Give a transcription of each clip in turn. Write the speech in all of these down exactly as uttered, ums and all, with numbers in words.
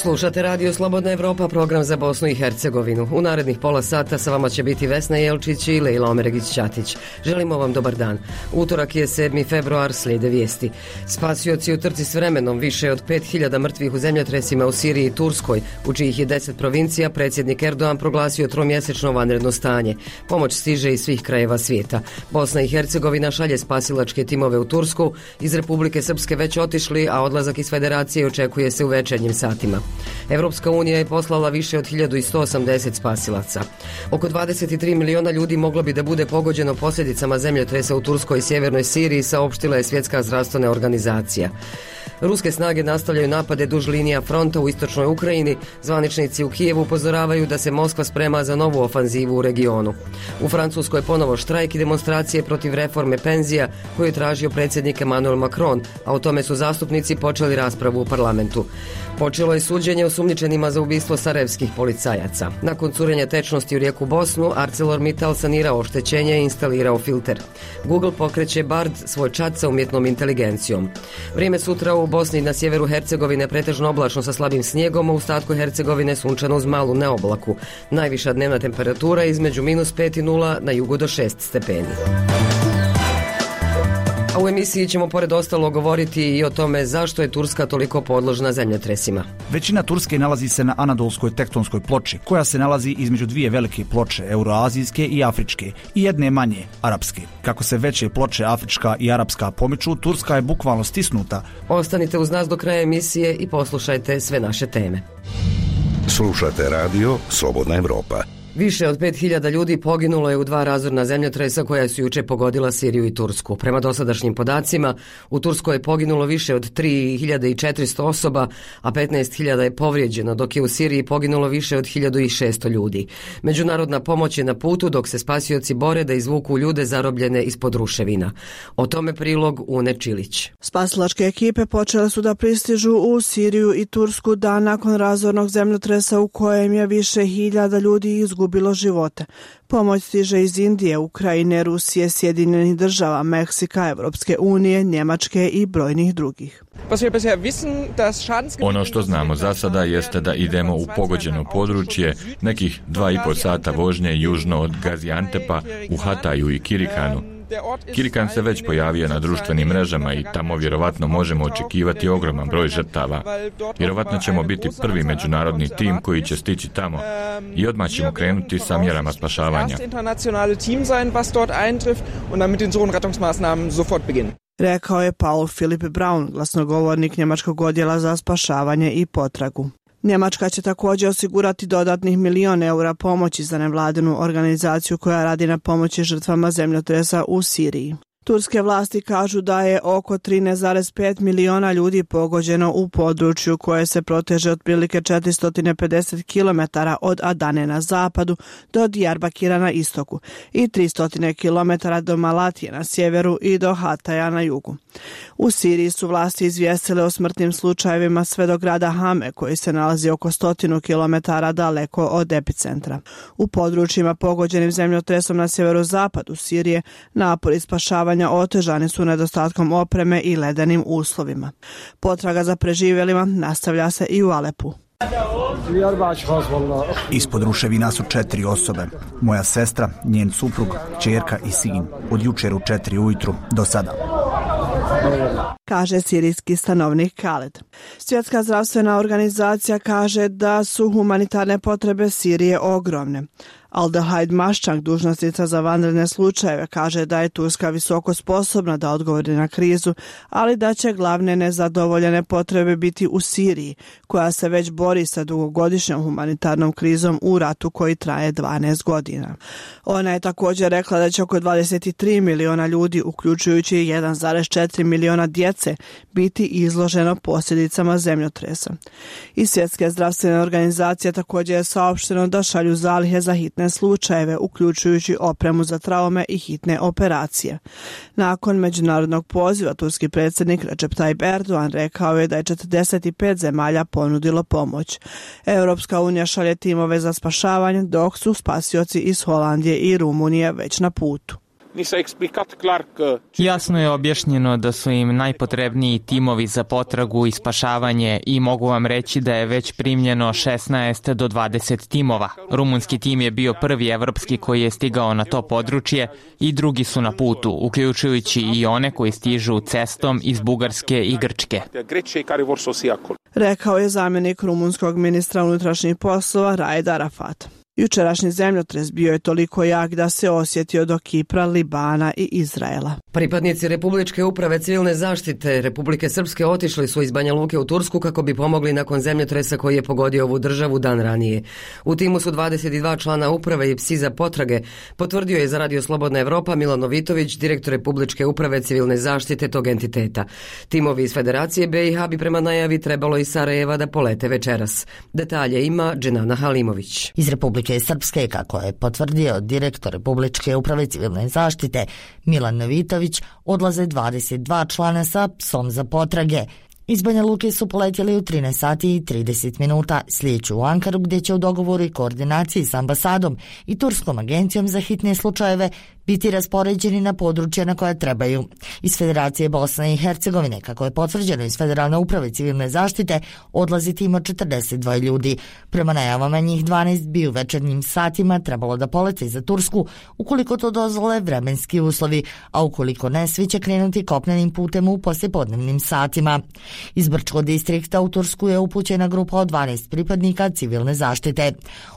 Slušate Radio Slobodna Evropa, program za Bosnu i Hercegovinu. U narednih pola sata sa vama će biti Vesna Jelčić i Lejla Omeregić-Ćatić. Želimo vam dobar dan. Utorak je sedmi februar, slijede vijesti. Spasioci u trci s vremenom, više od pet hiljada mrtvih u zemljotresima u Siriji i Turskoj, u čijih je deset provincija, predsjednik Erdogan proglasio tromjesečno vanredno stanje. Pomoć stiže iz svih krajeva svijeta. Bosna i Hercegovina šalje spasilačke timove u Tursku, iz Republike Srpske već otišli, a odlazak iz Federacije očekuje se u večernjim satima. Evropska unija je poslala više od hiljadu sto osamdeset spasilaca. Oko dvadeset tri miliona ljudi moglo bi da bude pogođeno posljedicama zemljotresa u Turskoj i sjevernoj Siriji, saopštila je Svjetska zdravstvena organizacija. Ruske snage nastavljaju napade duž linija fronta u istočnoj Ukrajini. Zvaničnici u Kijevu upozoravaju da se Moskva sprema za novu ofanzivu u regionu. U Francuskoj je ponovo štrajk i demonstracije protiv reforme penzija koju je tražio predsjednik Emmanuel Macron, a o tome su zastupnici počeli raspravu u parlamentu. Počelo je suđenje osumnjičenima za ubistvo sarajevskih policajaca. Nakon curenja tečnosti u rijeku Bosnu, ArcelorMittal sanirao oštećenje i instalirao filter. Google pokreće Bard, svoj čat sa umjetnom inteligencijom. Vrijeme sutra u Bosni i na sjeveru Hercegovine pretežno oblačno sa slabim snijegom, a u ostatku Hercegovine sunčano uz malu neoblaku. Najviša dnevna temperatura između minus pet i nula, na jugu do šest stepeni. A u emisiji ćemo pored ostalo govoriti i o tome zašto je Turska toliko podložna zemljotresima. Većina Turske nalazi se na Anadolskoj tektonskoj ploči, koja se nalazi između dvije velike ploče, euroazijske i afričke, i jedne manje, arapske. Kako se veće ploče, afrička i arapska, pomiču, Turska je bukvalno stisnuta. Ostanite uz nas do kraja emisije i poslušajte sve naše teme. Slušate Radio Slobodna Evropa. Više od pet hiljada ljudi poginulo je u dva razorna zemljotresa koja su juče pogodila Siriju i Tursku. Prema dosadašnjim podacima, u Turskoj je poginulo više od tri hiljade četiristo osoba, a petnaest hiljada je povrijeđeno, dok je u Siriji poginulo više od hiljadu šesto ljudi. Međunarodna pomoć je na putu, dok se spasioci bore da izvuku ljude zarobljene ispod ruševina. O tome prilog Une Čilić. Spasilačke ekipe počele su da pristižu u Siriju i Tursku dan nakon razornog zemljotresa u kojem je više hiljada ljudi izgubilo gubilo živote. Pomoć stiže iz Indije, Ukrajine, Rusije, Sjedinjenih država, Meksika, Evropske unije, Njemačke i brojnih drugih. Ono što znamo za sada jeste da idemo u pogođeno područje nekih dva i po sata vožnje južno od Gaziantepa u Hataju i Kirikanu. Kirikan se već pojavio na društvenim mrežama i tamo vjerovatno možemo očekivati ogroman broj žrtava. Vjerovatno ćemo biti prvi međunarodni tim koji će stići tamo i odmah ćemo krenuti sa mjerama spašavanja. Rekao je Paul Philip Braun, glasnogovornik njemačkog odjela za spašavanje i potragu. Njemačka će također osigurati dodatnih milion eura pomoći za nevladinu organizaciju koja radi na pomoći žrtvama zemljotresa u Siriji. Turske vlasti kažu da je oko trinaest zarez pet miliona ljudi pogođeno u području koje se proteže otprilike četiristo pedeset kilometara od Adane na zapadu do Diyarbakira na istoku i tristo kilometara do Malatije na sjeveru i do Hataja na jugu. U Siriji su vlasti izvijestile o smrtnim slučajevima sve do grada Hame, koji se nalazi oko stotinu kilometara daleko od epicentra. U područjima pogođenim zemljotresom na sjeverozapadu Sirije napori spašavanja otežani su nedostatkom opreme i ledenim uslovima. Potraga za preživjelima nastavlja se i u Alepu. Ispod ruševina su četiri osobe. Moja sestra, njen suprug, ćerka i sin. Od jučer u četiri ujutru do sada, kaže sirijski stanovnik Khaled. Svjetska zdravstvena organizacija kaže da su humanitarne potrebe Sirije ogromne. Aldehaid Maščank, dužnosnica za vanredne slučajeve, kaže da je Turska visoko sposobna da odgovori na krizu, ali da će glavne nezadovoljene potrebe biti u Siriji, koja se već bori sa dugogodišnjom humanitarnom krizom u ratu koji traje dvanaest godina. Ona je također rekla da će oko dvadeset tri miliona ljudi, uključujući jedan zarez četiri miliona djece, biti izloženo posljedicama zemljotresa. Iz Svjetske zdravstvene organizacije također je saopšteno da šalju zalihe za hitne slučajeve, uključujući opremu za traume i hitne operacije. Nakon međunarodnog poziva, turski predsjednik Recep Tayyip Erdogan rekao je da je četrdeset pet zemalja ponudilo pomoć. Europska unija šalje timove za spašavanje, dok su spasioci iz Holandije i Rumunije već na putu. Jasno je objašnjeno da su im najpotrebniji timovi za potragu i spašavanje i mogu vam reći da je već primljeno šesnaest do dvadeset timova. Rumunski tim je bio prvi evropski koji je stigao na to područje i drugi su na putu, uključujući i one koji stižu cestom iz Bugarske i Grčke. Rekao je zamjenik rumunskog ministra unutrašnjih poslova Raed Arafat. Jučerašnji zemljotres bio je toliko jak da se osjetio do Kipra, Libana i Izraela. Pripadnici Republičke uprave civilne zaštite Republike Srpske otišli su iz Banja Luke u Tursku kako bi pomogli nakon zemljotresa koji je pogodio ovu državu dan ranije. U timu su dvadeset dva člana uprave i psi za potrage, potvrdio je za Radio Slobodna Evropa Milan Novitović, direktor Republičke uprave civilne zaštite tog entiteta. Timovi iz Federacije B i H bi prema najavi trebalo iz Sarajeva da polete večeras. Detalje ima Dženana Halimović. Iz Republike Srpske, kako je potvrdio direktor Republičke uprave civilne zaštite Milan Novitović, odlaze dvadeset dva člana sa psom za potrage. Iz Banja Luke su poletjeli u trinaest sati i trideset minuta, slijeću u Ankaru gdje će u dogovoru i koordinaciji s ambasadom i Turskom agencijom za hitne slučajeve biti raspoređeni na područja na koja trebaju. Iz Federacije Bosne i Hercegovine, kako je potvrđeno iz Federalne uprave civilne zaštite, odlazi tim od četrdeset dva ljudi. Prema najavama njih dvanaest bi u večernjim satima trebalo da polete za Tursku, ukoliko to dozvole vremenski uslovi, a ukoliko ne, svi će krenuti kopnenim putem u poslijepodnevnim satima. Iz Brčkog distrikta u Tursku je upućena grupa od dvanaest pripadnika civilne zaštite.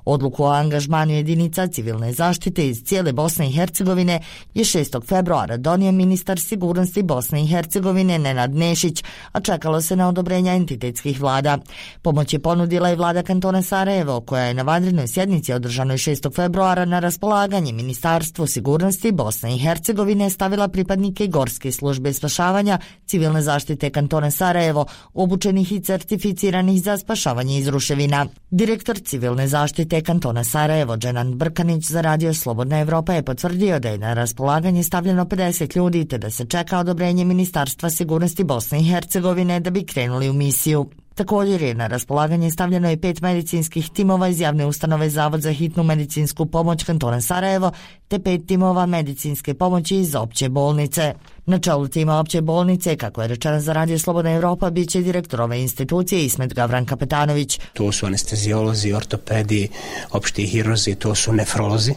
Odluku o angažmanu jedinica civilne zaštite iz cijele Bosne i Hercegovine je šestog februara donio ministar sigurnosti Bosne i Hercegovine Nenad Nešić, a čekalo se na odobrenja entitetskih vlada. Pomoć je ponudila i vlada kantona Sarajevo, koja je na vanrednoj sjednici održanoj šestog februara na raspolaganje Ministarstvu sigurnosti Bosne i Hercegovine stavila pripadnike Gorske službe spašavanja civilne zaštite kantona Sarajevo, obučenih i certificiranih za spašavanje iz ruševina. Direktor civilne zaštite kantona Sarajevo Dženan Brkanić za Radio Slobodna Evropa je potvrdio da je na raspolaganje stavljeno pedeset ljudi te da se čeka odobrenje Ministarstva sigurnosti Bosne i Hercegovine da bi krenuli u misiju. Također je na raspolaganje stavljeno i pet medicinskih timova iz javne ustanove Zavod za hitnu medicinsku pomoć kantona Sarajevo te pet timova medicinske pomoći iz opće bolnice. Na čelu tima opće bolnice, kako je rečeno za Radio Slobodna Evropa, bit će direktor ove institucije Ismet Gavran Kapetanović. To su anestezijolozi, ortopedi, opšti hirurzi, to su nefrolozi,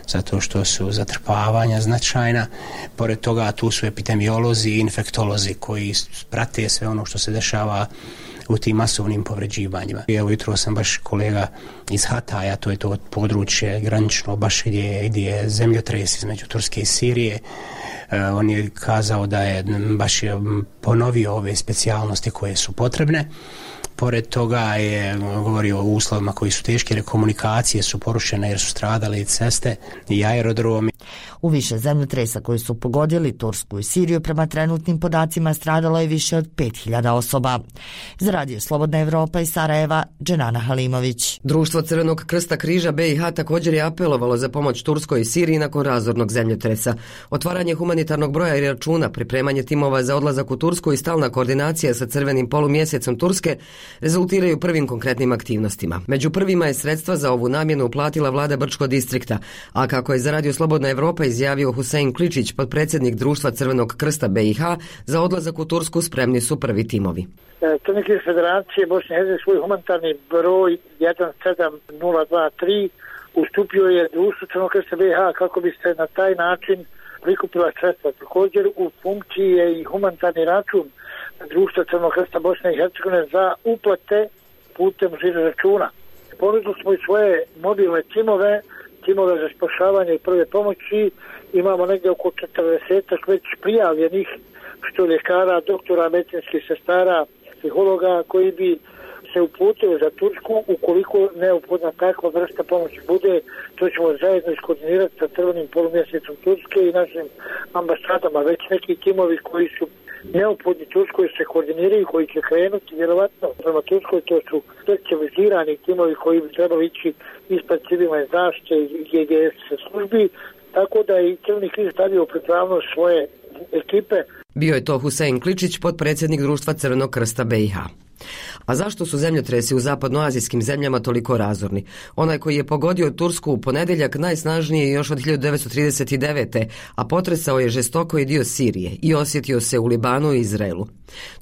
zato što su zatrpavanja značajna. Pored toga tu su epidemiolozi i infektolozi koji prate sve ono što se dešava u tim masovnim povređivanjima. Evo jutro sam baš kolega iz Hataja, to je to područje granično baš gdje, gdje je zemljotres između Turske i Sirije. Uh, on je kazao da je baš je ponovio ove specijalnosti koje su potrebne. Pored toga je govorio o uslovima koji su teški, jer komunikacije su porušene jer su stradale i ceste i aerodromi. U više zemljotresa koji su pogodili Tursku i Siriju prema trenutnim podacima stradalo je više od pet hiljada osoba. Za Radio Slobodna Evropa iz Sarajeva, Dženana Halimović. Društvo Crvenog krsta križa B i H također je apelovalo za pomoć Turskoj i Siriji nakon razornog zemljotresa. Otvaranje humanitarnog broja i računa, pripremanje timova za odlazak u Tursku i stalna koordinacija sa crvenim polumjesecom Turske rezultiraju prvim konkretnim aktivnostima. Među prvima je sredstva za ovu namjenu uplatila vlada Brčkog distrikta, a kako je za Radio Slobodna Evropa izjavio Husein Kličić, potpredsjednik Društva Crvenog krsta B i H, za odlazak u Tursku spremni su prvi timovi. Crveni križ Federacije Bosne i Hercegovine svoj humanitarni broj jedan sedam nula dva tri ustupio je Društvu Crvenog krsta B i H kako bi se na taj način prikupila sredstva. Također u funkciji je i humanitarni račun Društva Crvenog krsta Bosne i Hercegovine za uplate putem žiro računa. Ponudili smo i svoje mobilne timove, timove za spašavanje i prve pomoći. Imamo negdje oko četrdeset već prijavljenih, što ljekara, doktora, medicinskih sestara, psihologa koji bi se uputili za Tursku ukoliko neophodna takva vrsta pomoći bude. To ćemo zajedno iskoordinirati sa crvenim polumjesecom Turske i našim ambasadama. Već neki timovi koji su neophodni Turskoj se koordiniraju, koji će krenuti vjerovatno prema Turskoj. To su specializirani timovi koji bi trebali ići ispred civilne zaštite i G G S službi, tako da i Crveni križ stavio pripravnost svoje ekipe. Bio je to Husein Kličić, potpredsjednik društva Crvenog krsta B i H. A zašto su zemljotresi u zapadnoazijskim zemljama toliko razorni? Onaj koji je pogodio Tursku u ponedjeljak najsnažniji je još od hiljadu devetsto trideset devete. a potresao je žestoko i dio Sirije i osjetio se u Libanu i Izraelu.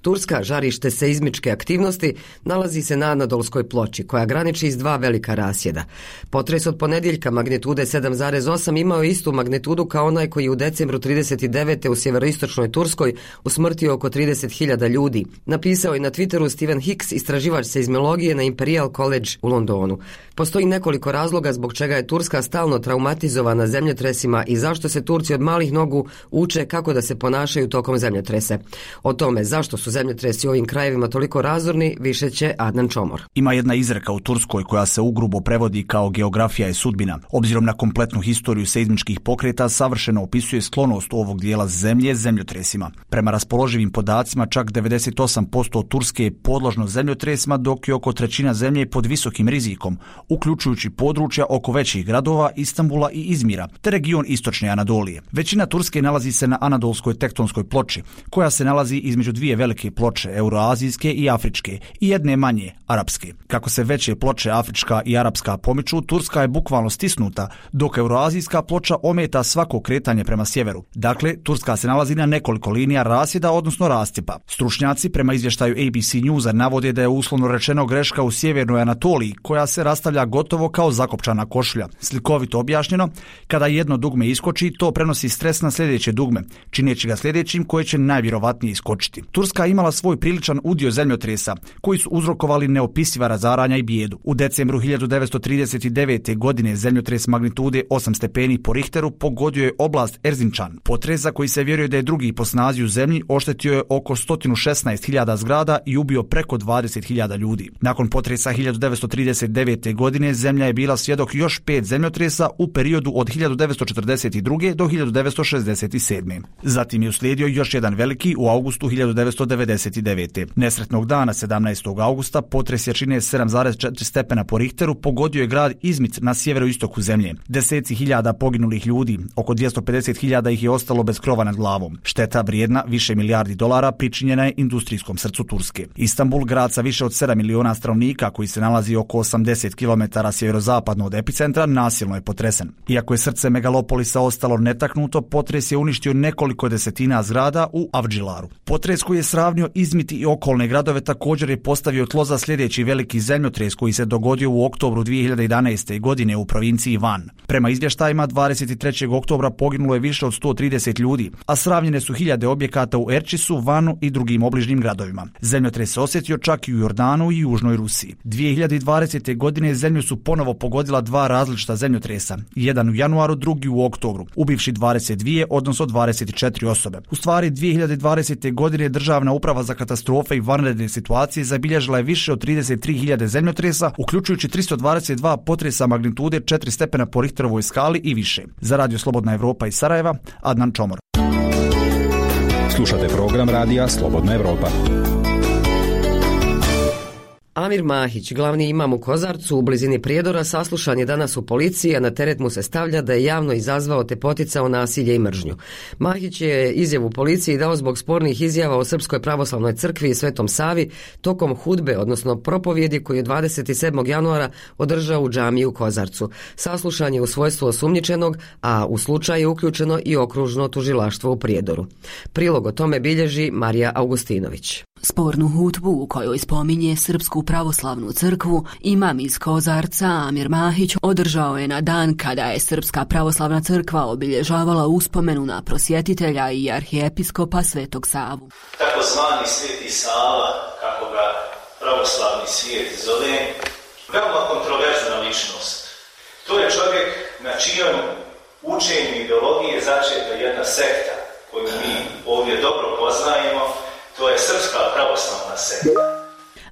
Turska, žarište seizmičke aktivnosti, nalazi se na Anadolskoj ploči, koja graniči s dva velika rasjeda. Potres od ponedjeljka magnitude sedam zarez osam imao je istu magnitudu kao onaj koji je u decembru trideset devete u sjeveroistočnoj Turskoj usmrtio oko trideset hiljada ljudi. Napisao je na Twitteru Steven Hicks, istraživač seizmologije na Imperial College u Londonu. Postoji nekoliko razloga zbog čega je Turska stalno traumatizovana zemljotresima i zašto se Turci od malih nogu uče kako da se ponašaju tokom zemljotrese. O tome zašto su zemljotresi u ovim krajevima toliko razorni više će Adnan Čomor. Ima jedna izreka u Turskoj koja se ugrubo prevodi kao geografija je sudbina. Obzirom na kompletnu historiju seizmičkih pokreta, savršeno opisuje sklonost ovog dijela zemlje zemljotresima. Prema raspoloživim podacima, čak devedeset osam posto Turske je podložno zemljotresima, dok je oko trećina zemlje pod visokim rizikom, uključujući područja oko većih gradova, Istanbula i Izmira, te region istočne Anadolije. Većina Turske nalazi se na Anadolskoj tektonskoj ploči, koja se nalazi između dvije velike ploče, euroazijske i afričke, i jedne manje, arapske. Kako se veće ploče, afrička i arapska, pomiču, Turska je bukvalno stisnuta, dok euroazijska ploča ometa svako kretanje prema sjeveru. Dakle, Turska se nalazi na nekoliko linija rasjeda, odnosno rascjepa. Stručnjaci prema izvještaju A B C Newsa navode da je uslovno rečeno greška u sjevernoj Anatoliji, koja se rastavlja gotovo kao zakopčana košulja. Slikovito objašnjeno, kada jedno dugme iskoči, to prenosi stres na sljedeće dugme, čineći ga sljedećim koje će najvjerovatnije iskočiti. Turska je imala svoj priličan udio zemljotresa, koji su uzrokovali neopisiva razaranja i bijedu. U decembru hiljadu devetsto trideset devete. godine zemljotres magnitude osam stepeni po Richteru pogodio je oblast Erzincan. Potres, za koji se vjeruje da je drugi po snazi u zemlji, oštetio je oko sto šesnaest hiljada zgrada i ubio preko dvadeset hiljada ljudi. Nakon potresa hiljadu devetsto trideset devete. godine zemlja je bila svjedok još pet zemljotresa u periodu od hiljadu devetsto četrdeset druge. do hiljadu devetsto šezdeset sedme. Zatim je uslijedio još jedan veliki u augustu hiljadu devetsto devedeset devete. Nesretnog dana sedamnaestog augusta potres jačine sedam zarez četiri stepena po Richteru pogodio je grad Izmit na sjeveroistoku zemlje. Deseci hiljada poginulih ljudi, oko dvjesto pedeset hiljada ih je ostalo bez krova nad glavom. Šteta vrijedna više milijardi dolara pričinjena je industrijskom srcu Turske. Istanbul, grad sa više od sedam miliona stanovnika koji se nalazi oko osamdeset kilometara sjeverozapadno od epicentra, nasilno je potresen. Iako je srce megalopolisa ostalo netaknuto, potres je uništio nekoliko desetina zgrada u Avdžilaru. Potres koji je sravnio Izmit i okolne gradove također je postavio tlo za sljedeći veliki zemljotres koji se dogodio u oktobru dvije hiljade jedanaeste. godine u provinciji Van. Prema izvještajima, dvadeset trećeg oktobra poginulo je više od sto trideset ljudi, a sravnjene su hiljade objekata u Erčisu, Vanu i drugim obližnjim gradovima. Zemljotres se osjetio čak i u Jordanu i južnoj Rusiji. dvije hiljade dvadesete. godine zemlju su ponovo pogodila dva različita zemljotresa, jedan u januaru, drugi u oktobru, ubivši dvadeset dvije, odnosno dvadeset četiri osobe. U stvari, dvije hiljade dvadesete. godine Državna uprava za katastrofe i vanredne situacije zabilježila je više od trideset tri hiljade zemljotresa, uključujući tristo dvadeset dva potresa magnitude četiri stepena po Richterovoj skali i više. Za Radio Slobodna Evropa iz Sarajeva, Adnan Čomor. Slušate program Radija Slobodna Evropa. Amir Mahić, glavni imam u Kozarcu u blizini Prijedora, saslušan je danas u policiji, a na teret mu se stavlja da je javno izazvao te poticao nasilje i mržnju. Mahić je izjavu policiji dao zbog spornih izjava o Srpskoj pravoslavnoj crkvi i Svetom Savi tokom hudbe, odnosno propovjedi koju je dvadeset sedmog januara održao u džamiji u Kozarcu. Saslušan je u svojstvu osumnjičenog, a u slučaju je uključeno i okružno tužilaštvo u Prijedoru. Prilog o tome bilježi Marija Augustinović. Spornu hudbu u kojoj spominje Srpsku pravoslavnu crkvu imam iz Kozarca Amir Mahić održao je na dan kada je Srpska pravoslavna crkva obilježavala uspomenu na prosvjetitelja i arhijepiskopa Svetog Savu. Takozvani Sveti Sava, kako ga pravoslavni svijet zove, veoma kontroverzna ličnost. To je čovjek na čijem učenju ideologije začeta jedna sekta koju mi ovdje dobro poznajemo. To je Srpska pravoslavna sekta.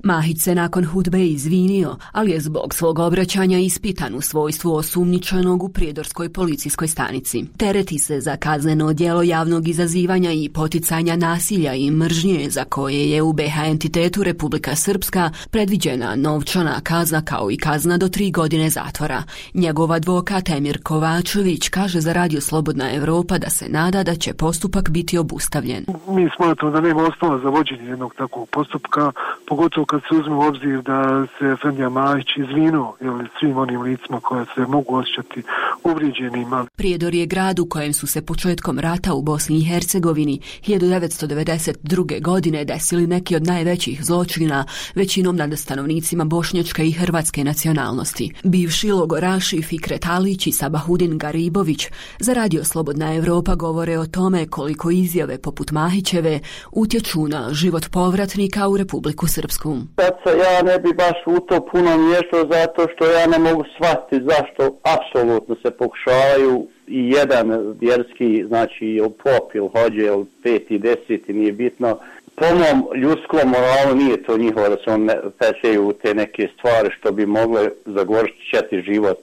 Mahić se nakon hudbe izvinio, ali je zbog svog obraćanja ispitan u svojstvu osumnjičenog u prijedorskoj policijskoj stanici. Tereti se za kazneno djelo javnog izazivanja i poticanja nasilja i mržnje za koje je u be ha entitetu Republika Srpska predviđena novčana kazna kao i kazna do tri godine zatvora. Njegov advokat Emir Kovačević kaže za Radio Slobodna Evropa da se nada da će postupak biti obustavljen. Mi smatramo da nema osnova za vođenje jednog takvog postupka, pogotovo kad se uzme u obzir da se Efendija Mahić izvinuo svim onim licima koja se mogu osjećati uvrijeđenima. Prijedor je grad u kojem su se početkom rata u Bosni i Hercegovini hiljadu devetsto devedeset druge. godine desili neki od najvećih zločina, većinom nad stanovnicima bošnjačke i hrvatske nacionalnosti. Bivši logoraši Fikret Alić i Sabahudin Garibović za Radio Slobodna Evropa govore o tome koliko izjave poput Mahićeve utječu na život povratnika u Republiku Srpsku. Sad se ja ne bi baš u to puno miješao zato što ja ne mogu shvatiti zašto apsolutno se pokušavaju i jedan vjerski, znači pop ili hođe ili peti, deseti, nije bitno. Po mom ljudskom moralu nije to njihovo da se on pečeju u te neke stvari što bi mogle zagorčiti život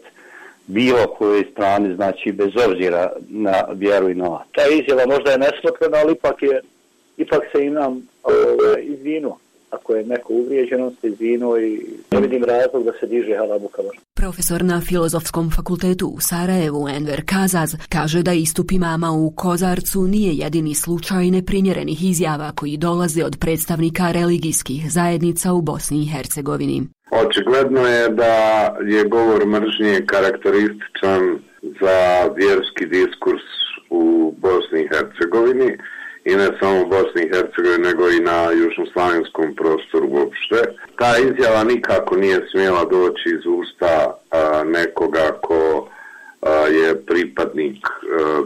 bilo kojoj strani, znači bez obzira na vjeru i novac. Ta izjava možda je nesmotrena, ali ipak, je, ipak se im nam izvinuo. Ako je neko uvrijeđen, on se izvinuo i ne vidim razlog da se diže halabuka. Profesor na Filozofskom fakultetu u Sarajevu Enver Kazaz kaže da istup imama u Kozarcu nije jedini slučaj neprimjerenih izjava koji dolaze od predstavnika religijskih zajednica u Bosni i Hercegovini. Očigledno je da je govor mržnje karakterističan za vjerski diskurs u Bosni i Hercegovini i ne samo u Bosni i Hercegovini nego i na južnoslavenskom prostoru uopšte. Ta izjava nikako nije smjela doći iz usta a, nekoga ko a, je pripadnik a,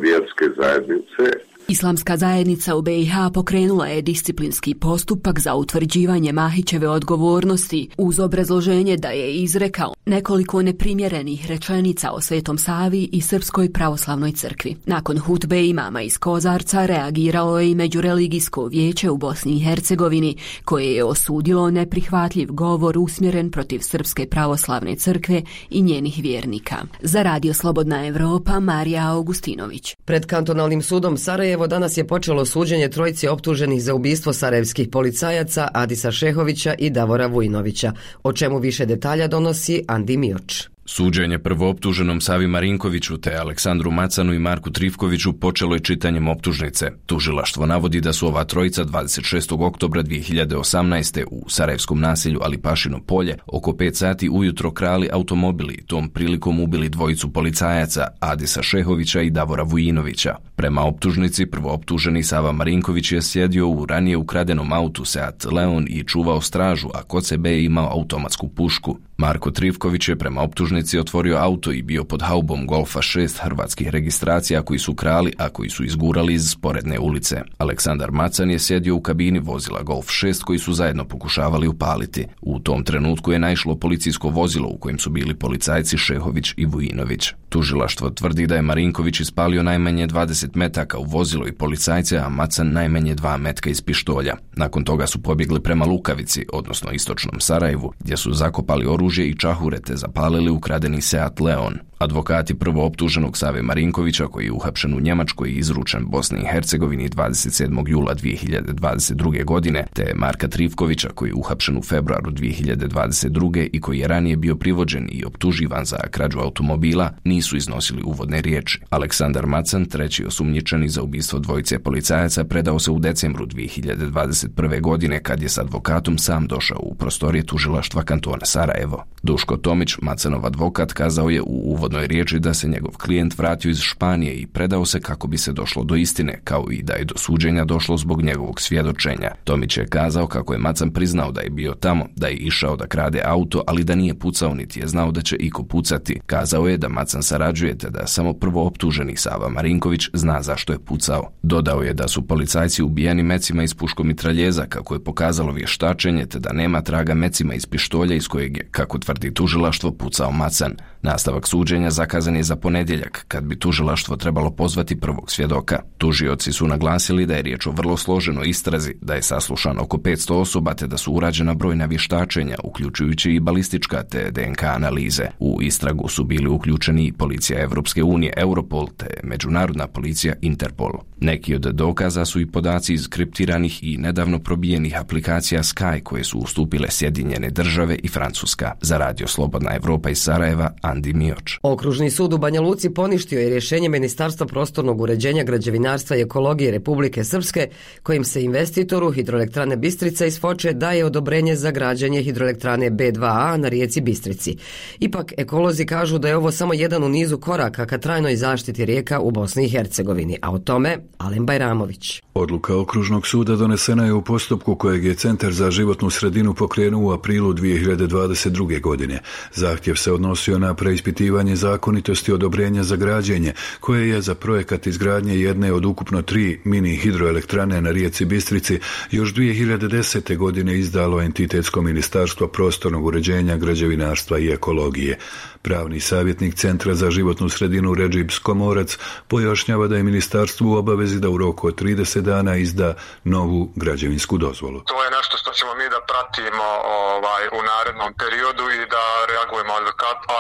vjerske zajednice. Islamska zajednica u be i ha pokrenula je disciplinski postupak za utvrđivanje Mahićeve odgovornosti uz obrazloženje da je izrekao nekoliko neprimjerenih rečenica o Svetom Savi i Srpskoj pravoslavnoj crkvi. Nakon hutbe imama iz Kozarca reagiralo je i Međureligijsko vijeće u Bosni i Hercegovini koje je osudilo neprihvatljiv govor usmjeren protiv Srpske pravoslavne crkve i njenih vjernika. Za Radio Slobodna Evropa, Marija Augustinović. Pred kantonalnim sudom Sarajevo danas je počelo suđenje trojici optuženih za ubistvo sarajevskih policajaca Adisa Šehovića i Davora Vujinovića, o čemu više detalja donosi Andi Mioč. Suđenje prvooptuženom Savi Marinkoviću te Aleksandru Macanu i Marku Trifkoviću počelo je čitanjem optužnice. Tužilaštvo navodi da su ova trojica dvadeset šestog oktobra dvije hiljade osamnaeste. u sarajevskom naselju Alipašino polje oko pet sati ujutro krali automobili i tom prilikom ubili dvojicu policajaca Adisa Šehovića i Davora Vujinovića. Prema optužnici prvooptuženi Sava Marinković je sjedio u ranije ukradenom autu Seat Leon i čuvao stražu, a kod sebe je imao automatsku pušku. Marko Trifković je prema optužnici otvorio auto i bio pod haubom Golfa šest hrvatskih registracija koji su krali, a koji su izgurali iz sporedne ulice. Aleksandar Macan je sjedio u kabini vozila Golf šest koji su zajedno pokušavali upaliti. U tom trenutku je naišlo policijsko vozilo u kojem su bili policajci Šehović i Vujinović. Tužilaštvo tvrdi da je Marinković ispalio najmanje dvadeset metaka u vozilo i policajce, a Macan najmanje dva metka iz pištolja. Nakon toga su pobjegli prema Lukavici, odnosno istočnom Sarajevu, gdje su zakopali oružje i čahure te zapalili ukradeni Seat Leon. Advokati prvooptuženog Save Marinkovića, koji je uhapšen u Njemačkoj i izručen Bosni i Hercegovini dvadeset sedmog jula dvije hiljade dvadeset druge. godine, te Marka Trifkovića, koji je uhapšen u februaru dvije hiljade dvadeset druge. i koji je ranije bio privođen i optuživan za krađu automobila, nisu iznosili uvodne riječi. Aleksandar Macan, treći osumnjičeni za ubistvo dvojice policajaca, predao se u decembru dvije hiljade dvadeset prve. godine kad je s advokatom sam došao u prostorije tužilaštva kantona Sarajevo. Duško Tomić, Macanov advokat, kazao je u uvodnoj riječi da se njegov klijent vratio iz Španije i predao se kako bi se došlo do istine, kao i da je do suđenja došlo zbog njegovog svjedočenja. Tomić je kazao kako je Macan priznao da je bio tamo, da je išao da krade auto, ali da nije pucao niti je znao da će iko pucati. Kazao je da Macan sarađuje te da samo prvo optuženi Sava Marinković zna zašto je pucao. Dodao je da su policajci ubijeni mecima iz puškomitraljeza, kako je pokazalo vještačenje, te da nema traga mecima iz pištolja iz kojeg je, kako tvrdi tužilaštvo, pucao Macan. Nastavak suđenja suđenja zakazan je za ponedjeljak, kad bi tužilaštvo trebalo pozvati prvog svjedoka. Tužioci su naglasili da je riječ o vrlo složenoj istrazi, da je saslušano oko petsto osoba te da su urađena brojna vještačenja, uključujući i balistička te D N K analize. U istragu su bili uključeni i policija Evropske unije Europol te međunarodna policija Interpol. Neki od dokaza su i podaci iz kriptiranih i nedavno probijenih aplikacija Sky koje su ustupile Sjedinjene države i Francuska. Za Radio Slobodna Evropa iz Sarajeva, Andi Mioč. Okružni sud u Banja Luci poništio je rješenje Ministarstva prostornog uređenja, građevinarstva i ekologije Republike Srpske, kojim se investitoru hidroelektrane Bistrica iz Foče daje odobrenje za građenje hidroelektrane B dva A na rijeci Bistrici. Ipak ekolozi kažu da je ovo samo jedan u nizu koraka ka trajnoj zaštiti rijeka u Bosni i Hercegovini, a o tome Alen Bajramović. Odluka Okružnog suda donesena je u postupku kojeg je Centar za životnu sredinu pokrenuo u aprilu dvije hiljade dvadeset druge. godine. Zahtjev se odnosio na preispitivanje zakonitosti odobrenja za građenje, koje je za projekat izgradnje jedne od ukupno tri mini hidroelektrane na rijeci Bistrici još dvije hiljade desete. godine izdalo Entitetsko ministarstvo prostornog uređenja, građevinarstva i ekologije. Pravni savjetnik Centra za životnu sredinu Redžib Skomorac pojašnjava da je ministarstvo u obavezi da u roku od trideset dana izda novu građevinsku dozvolu. To je nešto što ćemo mi da pratimo ovaj, u narednom periodu i da reagujemo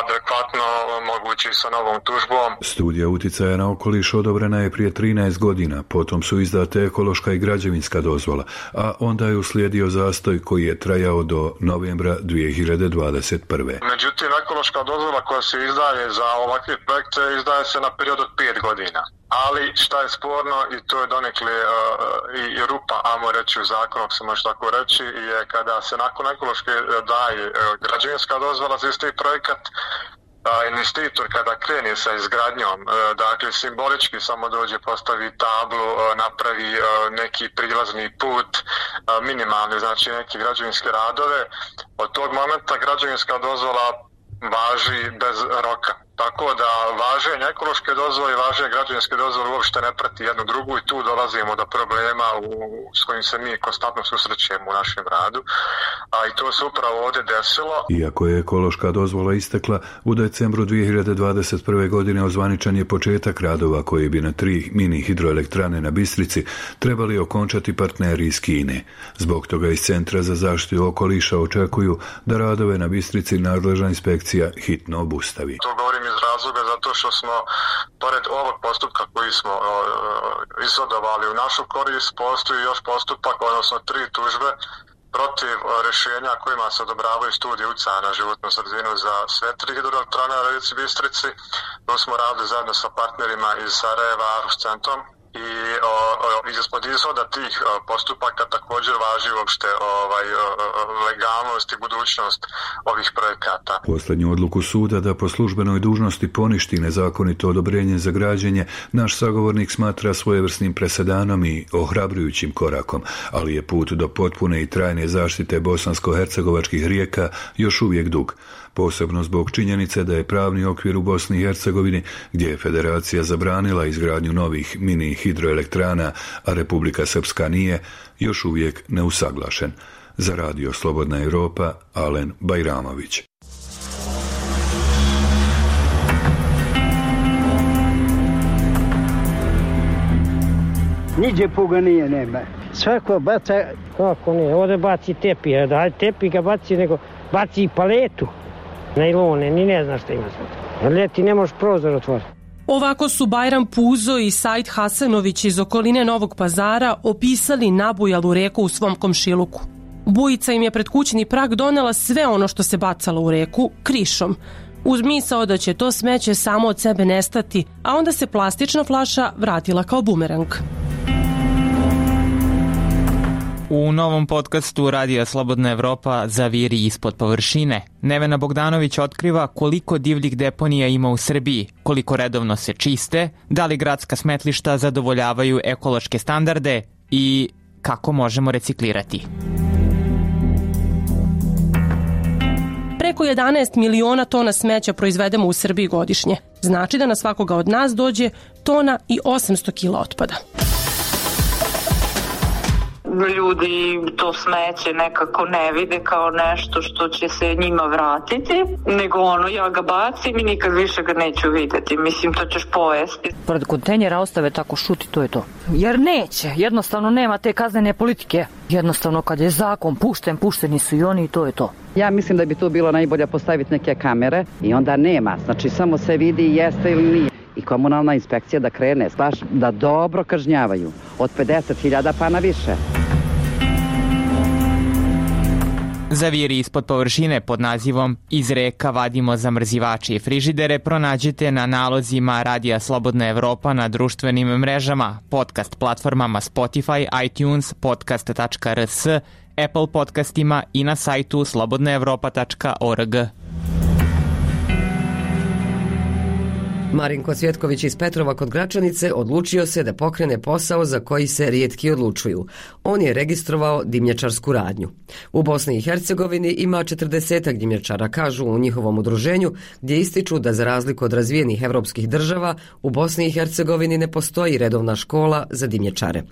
adekvatno, mogući sa novom tužbom. Studija uticaja na okoliš odobrena je prije trinaest godina, potom su izdate ekološka i građevinska dozvola, a onda je uslijedio zastoj koji je trajao do novembra dvije hiljade dvadeset prve. Međutim, ekološka dozvola koja se izdaje za ovakve projekte izdaje se na period od pet godina. Ali šta je sporno, i to je donekle uh, i, i rupa, amo reći u zakonu, ako se može tako reći, je kada se nakon ekološke daje uh, građevinska dozvola za isti projekat, uh, investitor kada krene sa izgradnjom, uh, dakle simbolički samo dođe, postavi tablu, uh, napravi uh, neki prilazni put, uh, minimalni, znači neki građevinske radove, od tog momenta građevinska dozvola važi bez roka. Tako da važenje ekološke dozvole i važenje građevinske dozvole uopšte ne prati jednu drugu i tu dolazimo do problema u, s kojim se mi konstantno susrećemo u našem radu. A i to se upravo ovdje desilo. Iako je ekološka dozvola istekla, u decembru dvije hiljade dvadeset prve. godine ozvaničan je početak radova koji bi na tri mini hidroelektrane na Bistrici trebali okončati partneri iz Kine. Zbog toga iz Centra za zaštitu okoliša očekuju da radove na Bistrici nadležna inspekcija hitno obustavi. To govorim iz razloga zato što smo, pored ovog postupka koji smo uh, izvodovali u našu korist, postoji još postupak, odnosno tri tužbe protiv uh, rješenja kojima se odobravaju studije utjecaja na životnu sredinu za sve tri hidroelektrane na rijeci Bistrici. To smo radili zajedno sa partnerima iz Sarajeva, Aarhus centrom. I o, o, ispod izhoda tih o, postupaka također važi uopšte ovaj, o, legalnost i budućnost ovih projekata. Posljednju odluku suda da po službenoj dužnosti poništi nezakonito odobrenje za građenje naš sagovornik smatra svojevrsnim presedanom i ohrabrujućim korakom, ali je put do potpune i trajne zaštite bosansko-hercegovačkih rijeka još uvijek dug. Posebno zbog činjenice da je pravni okvir u Bosni i Hercegovini, gdje je federacija zabranila izgradnju novih mini hidroelektrana, a Republika Srpska nije, još uvijek neusaglašen. Za Radio Slobodna Evropa, Alen Bajramović. Niđe puga nije, nema. Svako baca... Kako nije, ovdje baci tepi, daj tepi ga baci, nego baci i paletu. Najlone, ni ne znaš šta ima sad. Ljeti ne možeš prozor otvoriti. Ovako su Bajram Puzo i Said Hasanović iz okoline Novog Pazara opisali nabujalu reku u svom komšiluku. Bujica im je pred kućni prag donela sve ono što se bacalo u reku krišom, uz misao da će to smeće samo od sebe nestati, a onda se plastična flaša vratila kao bumerang. U novom podcastu Radija Slobodna Evropa Zaviri ispod površine, Nevena Bogdanović otkriva koliko divljih deponija ima u Srbiji, koliko redovno se čiste, da li gradska smetlišta zadovoljavaju ekološke standarde i kako možemo reciklirati. Preko jedanaest miliona tona smeća proizvedemo u Srbiji godišnje. Znači da na svakoga od nas dođe tona i osamsto kila otpada. Ljudi to smeće nekako ne vide kao nešto što će se njima vratiti, nego ono ja ga bacim i nikad više ga neću vidjeti. Mislim, to ćeš pojesti. Pored kontejnera ostave tako šuti, to je to. Jer neće, jednostavno nema te kaznene politike. Jednostavno kad je zakon pušten, pušteni su i oni i to je to. Ja mislim da bi tu bilo najbolje postaviti neke kamere i onda nema, znači samo se vidi jeste ili nije. I komunalna inspekcija da krene, baš da dobro kažnjavaju, od pedeset hiljada pa na više. Zaviri ispod površine pod nazivom Iz reka vadimo zamrzivače i frižidere pronađete na nalozima Radija Slobodna Evropa na društvenim mrežama, podcast platformama Spotify, iTunes, podcast tačka r s, Apple podcastima i na sajtu slobodna evropa tačka org. Marinko Cvjetković iz Petrova kod Gračanice odlučio se da pokrene posao za koji se rijetki odlučuju. On je registrovao dimnjačarsku radnju. U Bosni i Hercegovini ima četrdesetak dimnjačara, kažu u njihovom udruženju, gdje ističu da za razliku od razvijenih evropskih država, u Bosni i Hercegovini ne postoji redovna škola za dimnjačare.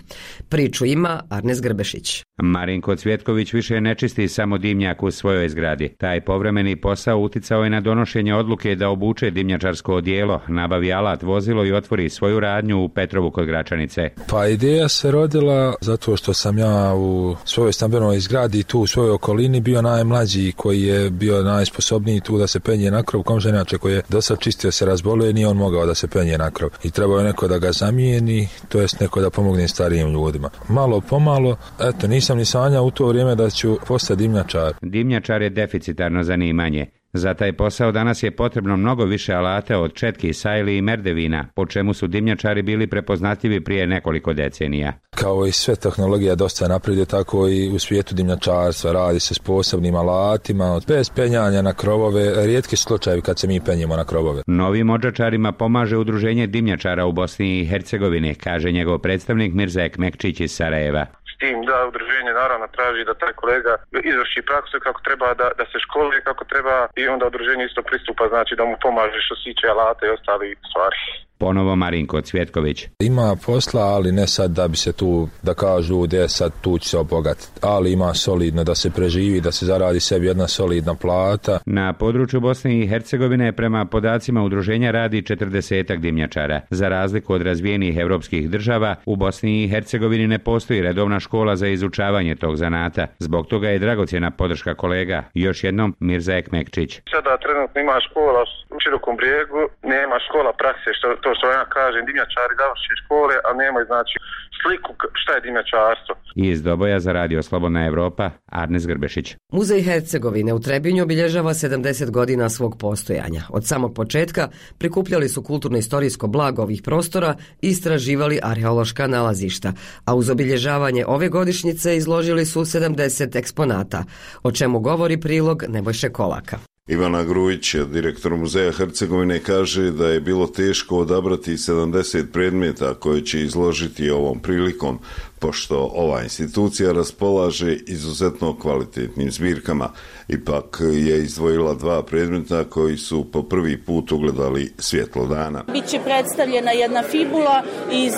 Priču ima Arnes Grbešić. Marinko Cvjetković više ne čisti samo dimnjak u svojoj zgradi. Taj povremeni posao uticao je na donošenje odluke da obuče dimnjačarsko odijelo, nabavi alat, vozilo i otvori svoju radnju u Petrovu kod Gračanice. Pa ideja se rodila zato što sam ja u svojoj stambenoj zgradi tu u svojoj okolini bio najmlađi koji je bio najsposobniji tu da se penje na krov. Komšenače koji je dosad čistio se razbolio i nije on mogao da se penje na krov. I trebao je neko da ga zamijeni, to jest neko da pomogne starijim ljudima. Malo pomalo, eto, nisam ni sanjao u to vrijeme da ću postati dimnjačar. Dimnjačar je deficitarno zanimanje. Za taj posao danas je potrebno mnogo više alata od četki, sajli i merdevina, po čemu su dimnjačari bili prepoznatljivi prije nekoliko decenija. Kao i sve tehnologija dosta napreduje, tako i u svijetu dimnjačarstva radi se s posebnim alatima, bez penjanja na krovove, rijetki slučajevi kad se mi penjemo na krovove. Novim odžačarima pomaže udruženje dimnjačara u Bosni i Hercegovini, kaže njegov predstavnik Mirza Ekmekčić iz Sarajeva. S tim da udruženje naravno traži da taj kolega izvrši praksu kako treba, da, da se školuje kako treba i onda udruženje isto pristupa, znači da mu pomaže što se tiče alata i ostali stvari. Ponovo Marinko Cvjetković. Ima posla, ali ne sad da bi se tu, da kažu gdje sad tu će se obogatiti, ali ima solidno da se preživi, da se zaradi sebi jedna solidna plata. Na području Bosne i Hercegovine prema podacima udruženja radi četrdesetak dimnjačara. Za razliku od razvijenih evropskih država, u Bosni i Hercegovini ne postoji redovna škola za izučavanje tog zanata. Zbog toga je dragocjena podrška kolega. Još jednom Mirza Ekmekčić. Sada trenutno ima škola u Širokom Brijegu, nema škola prakse, što to što ja kažem, dimnjačari završe škole, a nemaju znači sliku šta je dimnjačarstvo. Iz Doboja za Radio Slobodna Evropa, Arnes Grbešić. Muzej Hercegovine u Trebinju obilježava sedamdeset godina svog postojanja. Od samog početka prikupljali su kulturno-istorijsko blago ovih prostora i istraživali arheološka nalazišta, a uz obilježavanje ove godišnjice izložili su sedamdeset eksponata, o čemu govori prilog Nebojše Kolaka. Ivana Grujić, direktor Muzeja Hercegovine, kaže da je bilo teško odabrati sedamdeset predmeta koje će izložiti ovom prilikom, pošto ova institucija raspolaže izuzetno kvalitetnim zbirkama. Ipak je izdvojila dva predmeta koji su po prvi put ugledali svjetlo dana. Biće predstavljena jedna fibula iz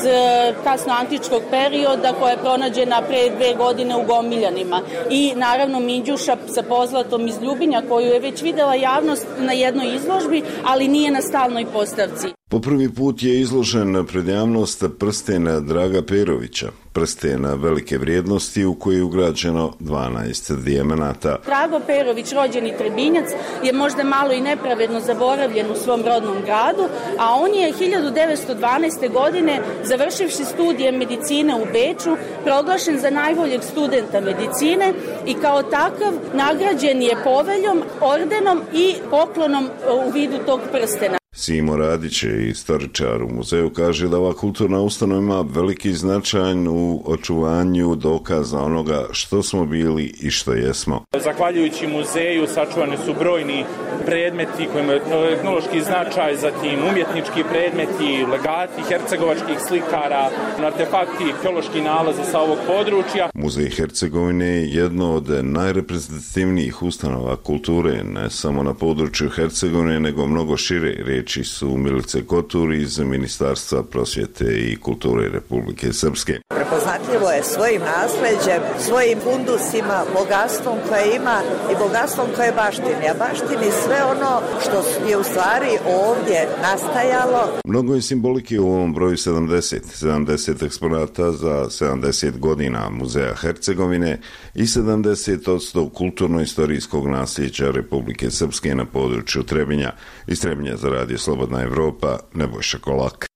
kasnoantičkog perioda koja je pronađena pre dve godine u Gomiljanima. I naravno Minđuša sa pozlatom iz Ljubinja koju je već videla javnost na jednoj izložbi, ali nije na stalnoj postavci. Po prvi put je izložen pred javnost prsten Draga Perovića, prsten velike vrijednosti u koji je ugrađeno dvanaest dijamanata. Drago Perović, rođeni Trebinjac, je možda malo i nepravedno zaboravljen u svom rodnom gradu, a on je hiljadu devetsto dvanaeste. godine, završivši studije medicine u Beču, proglašen za najboljeg studenta medicine i kao takav nagrađen je poveljom, ordenom i poklonom u vidu tog prstena. Simo Radić, istoričar u muzeju, kaže da ova kulturna ustanova ima veliki značaj u očuvanju dokaza onoga što smo bili i što jesmo. Zahvaljujući muzeju sačuvani su brojni predmeti koji imaju etnološki značaj, zatim umjetnički predmeti, legati hercegovačkih slikara, artefakti, arheološki nalazi sa ovog područja. Muzej Hercegovine je jedno od najreprezentativnijih ustanova kulture, ne samo na području Hercegovine, nego mnogo šire. Riječi su Milice Kotur iz Ministarstva prosvjete i kulture Republike Srpske. prepoznatljivo je svojim nasleđem, svojim fundusima, bogatstvom koje ima i bogatstvom koje baštini. A baštini sve ono što je u stvari ovdje nastajalo. Mnogo je simbolike u ovom broju sedamdeset. sedamdeset eksponata za sedamdeset godina Muzeja Hercegovine i sedamdeset odsto kulturno-istorijskog nasljeđa Republike Srpske na području Trebinja. Iz Trebinja za Radio Slobodna Evropa, Nebojša Kolak.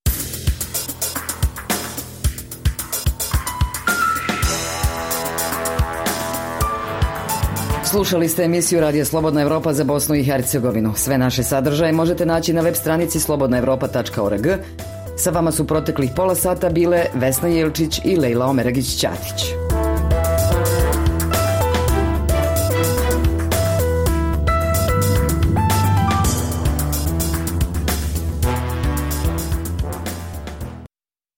Slušali ste emisiju Radio Slobodna Evropa za Bosnu i Hercegovinu. Sve naše sadržaje možete naći na web stranici slobodna evropa tačka org. Sa vama su proteklih pola sata bile Vesna Jelčić i Lejla Omeragić-Ćatić.